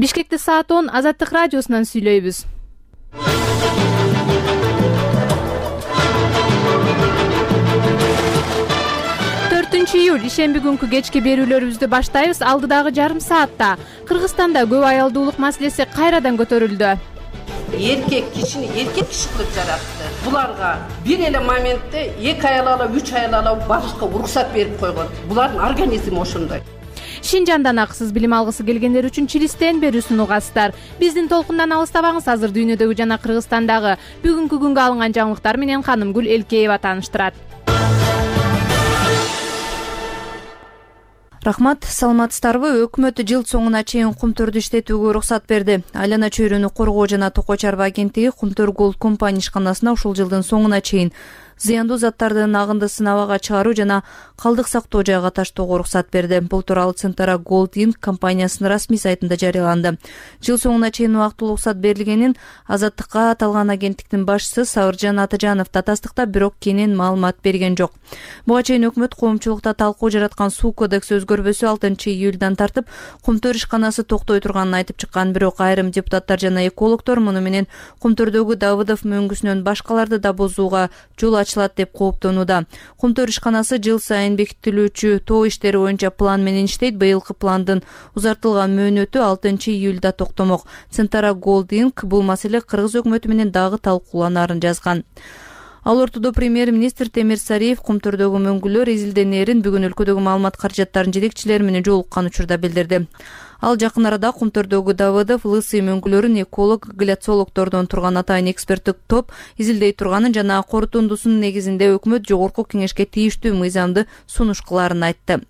Бишкекте саат 10 Азаттык радиосунан сүйлөйбүз. 4-июль ишемби күнкү кечки берүүлөрүбүздү баштайбыз. Алдыдагы жарым саатта Кыргызстанда көп аялдуулук маселеси кайрадан көтөрүлдү. Эркек киши кылып жаратты. Буларга бир эле моментте 2 аял алып, 3 аял алып барышка уруксат берип койгон. Булардын организми ошондой. Шинжандан акысыз билим алгысы келгендер үчүн Чилистен берүүсүн угасыздар. Биздин толкундан алыстабаңыз. Азыр дүйнөдөгү жана Кыргызстандагы бүгүнкү күнгө алынган жаңылыктар менен Канымгүл Элкеева тааныштырат. Рахмат, саламатсыздарбы? Өкмөт жыл соңуна чейин кумтөрдү иштетүүгө уруксат берди. Айлана чөйрөнү коргоо жана токой чарба агенттиги Кумтөр Голд компания ишканасына ушул жылдын соңуна чейин зыяндуу заттардын агындысын абага чыгаруу жана калдык сактоо жайга таштоого уруксат берди. Бул тууралуу Центара Голд Инк компаниясынын расмий сайтында жарыяланды. Жыл соңуна чейин убактылуу уруксат берилгенин Азаттыкка аталган агенттиктин башчысы Сабыржан Атажанов татаздыктап, бирок кенен маалымат берген жок. Буга чейин өкмөт коомчулукта талкуу жараткан суу кодекси өзгөрбөсү 6-июлдан тартып Кумтөр ишканасы токтой турганын айтып чыккан, бирок айрым депутаттар жана экологдор муну менен Кумтөрдөгү Давыдов мөңгүсүнөн башкаларды да бузууга жол ачылат деп кооптонууда. Кумтөр ишканасы жыл сайын бекитилүүчү тоо иштери боюнча план менен иштейт. Быйылкы пландын узартылган мөөнөтү 6-июлда токтомок. Центара Голд Инк бул маселе Кыргыз өкмөтү менен дагы талкууланарын жазган. Ал ортодо премьер-министр Темир Сариев Кумтөрдөгү мөңгүлөр изилденерин бүгүн өлкөдөгү маалымат каражаттарынын жетекчилери менен жолуккан учурда билдирди. Ал жакын арада Кумтөрдөгү Давыдов, Лысый мөңгүлөрүн эколог, гляциологдордон турган атайын эксперттик топ изилдей турганын жана корутундусунун негизинде өкмөт жогорку кеңешке тийиштүү мыйзамды сунуш кылаарын айтты.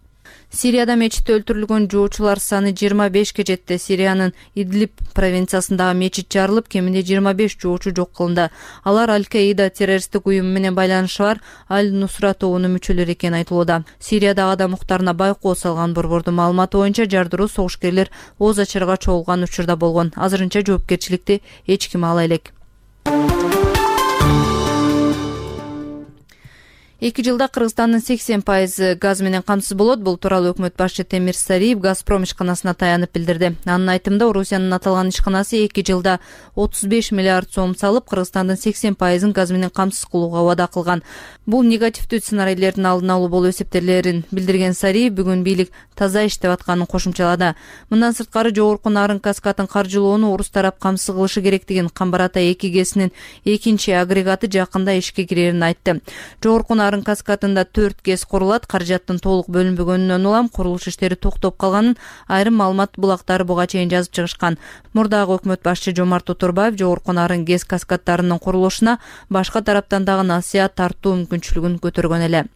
Сирияда мечитте өлтүрүлгөн жоочулар саны 25ке жетти. Сириянын Идлиб провинциясындагы мечит жарылып, кеминде 25 жоочу жок кылынды. Алар Аль-Каида террористтик уюму менен байланышы бар Аль-Нусра тобунун мүчөлөрү экени айтылууда. Сириядагы адам укуктарына байкоо салган борбордун маалыматы боюнча жардыруу согушкерлер ооз ачарга чогулган учурда болгон. Азырынча жоопкерчиликти эч ким ала элек. 2 жылда Кыргызстандын 80% газ менен камсыз болот. Бул тууралуу өкмөт башчы Темир Сариев Газпром ишканасына таянып билдирди. Анын айтымында, Орусиянын аталган ишканасы 2 жылда 35 миллиард сом салып, Кыргызстандын 80% газ менен камсыз кылууга убада кылган. Бул негативдүү сценарийлердин алдын алуу болуп эсептелерин билдирген Сариев бүгүн бийлик таза иштеп атканын кошумчалады. Мындан сырткары жогорку нарын каскадын каржылоону орус тарап камсыз кылышы керектигин, Камбар Ата 2 ГЭСинин экинчи агрегаты жакында ишке кирерин айтты. Жогорку нарын каскадында 4 ГЭС курулат. Каражаттын толук бөлүнбөгөнүнөн улам курулуш иштери токтоп калганын айрым маалымат булактары буга чейин жазып чыгышкан. Мурдагы өкмөт башчы Жомарт Оторбаев жогорку нарын ГЭС каскаддарынын курулушуна башка тараптан дагы насыят тартуу мүмкүнчүлүгүн көтөргөн эле.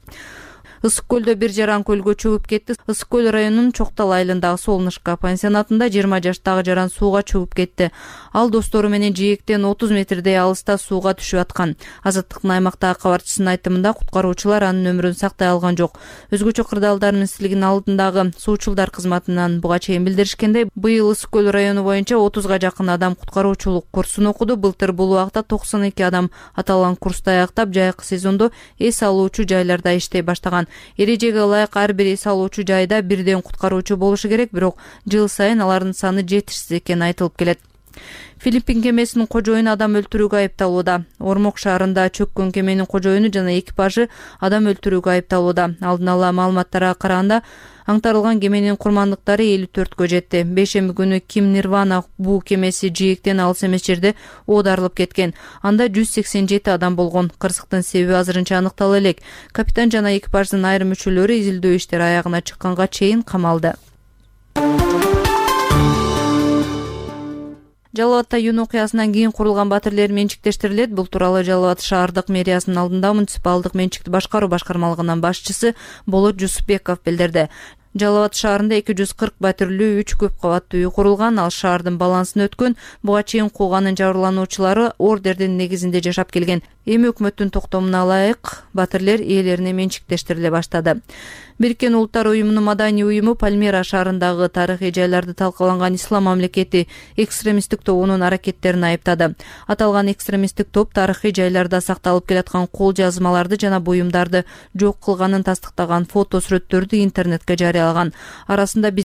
Ысык көлдө бир жаран көлгө чөгүп кетти. Ысык көл районунун Чоктал айылындагы Солнышко пансионатында 20 жаштагы жаран сууга чөгүп кетти. Ал достору менен жээктен 30 метрдей алыста сууга түшүп аткан. Азаттыктын аймактагы кабарчысынын айтымында, куткаруучулар анын өмүрүн сактай алган жок. Өзгөчө кырдаалдар министрлигинин алдындагы суучулдар кызматынан буга чейин билдиришкендей, быйыл Ысык көл району боюнча 30га жакын адам куткаруучулук курсун окуду. Былтыр бул убакта 92 адам аталган курсту аяктап, жайкы сезондо эс алуучу жайларда иштей баштаган. Эрежеге ылайык ар бир эс алуучу жайда бирден куткаруучу болушу керек, бирок жыл сайын алардын саны жетишсиз экени айтылып келет. Филиппин кемесинин кожоюну адам өлтүрүүгө айыпталууда. Ормок шаарында чөккөн кеменин кожоюну жана экипажы адам өлтүрүүгө айыпталууда. Алдын ала маалыматтарга караганда, аңтарылган кеменин курмандыктары 54гө жетти. Бейшемби күнү Ким Нирвана буу кемеси жээктен алыс эмес жерде оодарылып кеткен. Анда 187 адам болгон. Кырсыктын себеби азырынча аныктала элек. Капитан жана экипаждын айрым мүчөлөрү изилдөө иштери аягына чыкканга чейин камалды. Жалал Абадта июнь окуясынан кийин курулган батирлер менчиктештирилет. Бул тууралуу Жалал Абад шаардык мэриясынын алдында муниципалдык менчикти башкаруу башкармалыгынын башчысы Болот Жусупбеков билдирди. Жалал Абад шаарында 240 батирлүү 3 көп кабаттуу үй курулган. Ал шаардын балансын өткөн. Буга чейин кууганын жабырлануучулары ордердин негизинде жашап келген. Эми өкмөттүн токтомуна ылайык батирлер ээлерине менчиктештириле баштады. Бириккен Улуттар уюмунун маданий уюму Пальмира шаарындагы тарыхый жайларды талкаланган Ислам мамлекети экстремисттик тобунун аракеттерин айыптады. Аталган экстремисттик топ тарыхый жайларда сакталып келаткан кол жазмаларды жана буюмдарды жок кылганын тастыктаган фото сүрөттөрдү интернетке жарыялаган. Арасында